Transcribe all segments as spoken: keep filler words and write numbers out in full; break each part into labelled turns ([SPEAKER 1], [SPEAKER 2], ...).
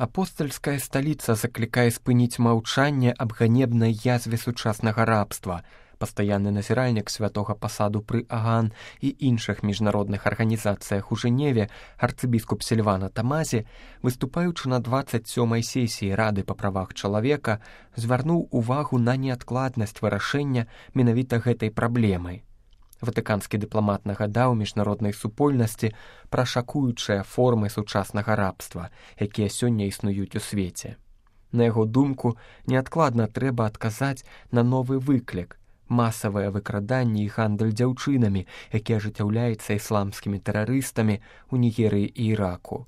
[SPEAKER 1] Апостальская сталіца заклікае спыніць маўчанне аб ганебнай язве сучаснага рабства. Пастаянны назіральнік святога пасаду пры Аган і іншых міжнародных арганізацыях у Жэневе арцыбіскуп Сільвана Тамазі, выступаючы на дваццаць сёмай сесіі Рады па правах чалавека, звярнуў увагу на неадкладнасць вырашэння менавіта гэтай праблемы. Ватыканскі дыпламат нагадаў міжнароднай супольнасці пра шакуючыя формы сучаснага рабства, якія сёння існуюць у свеце. На яго думку, неадкладна трэба адказаць на новы выклік, масавае выкраданне і гандаль дзяўчынамі, які ажыццяўляецца ісламскімі тэрарыстамі ў Нігерыі і Іраку.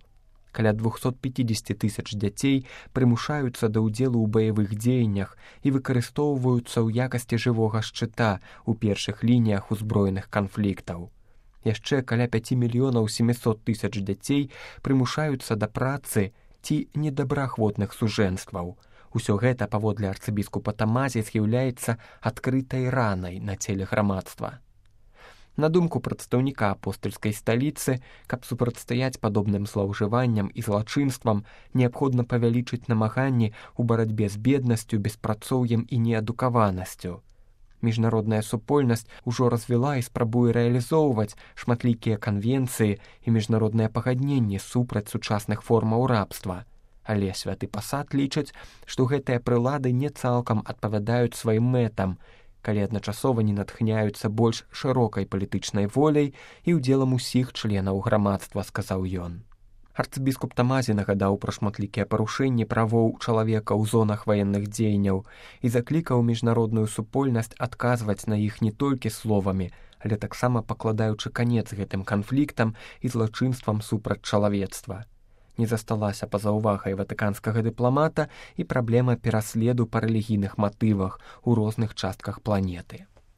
[SPEAKER 1] Каля двухсот пятидесяти тысяч дзяцей прымушаюцца да ўдзелу ў баявых дзеяннях і выкарыстоўваюцца ў якасці жывога шчыта ў першых лініях узброеных канфліктаў. Яшчэ каля пяці мільёнаў сямісот тысяч дзяцей прымушаюцца да працы ці недабраахвотных сужэнстваў. Усё гэта, паводле арцыбіскупа Тамазі, з'яўляецца адкрытай ранай на целе грамадства. На думку прадстаўніка апостальскай сталіцы, каб супрацьстаяць падобным злоўжыванням і злачынствам, неабходна павялічыць намаганні ў барацьбе з беднасцю, беспрацоўем і неадукаванасцю. Міжнародная супольнасць ужо развіла і спрабуе рэалізоўваць шматлікія канвенцыі і міжнародныя пагадненні супраць сучасных формаў рабства. Але святы пасад лічаць, што гэтыя прылады не цалкам адпавядаюць сваім мэтам, калі адначасова не натхняюцца больш шырокай палітычнай воляй і ўдзелам усіх членаў грамадства, сказаў ён. Арцыбіскуп Тамазі нагадаў пра шматлікія парушэнні правоў чалавека ў зонах ваенных дзеянняў і заклікаў міжнародную супольнасць адказваць на іх не толькі словамі, але таксама пакладаючы канец гэтым канфліктам і злачынствам супраць чалавецтва. Не засталася па-за ўвагай ватыканскага дыпламата і праблема пераследу па рэлігійных матывах у розных частках планеты.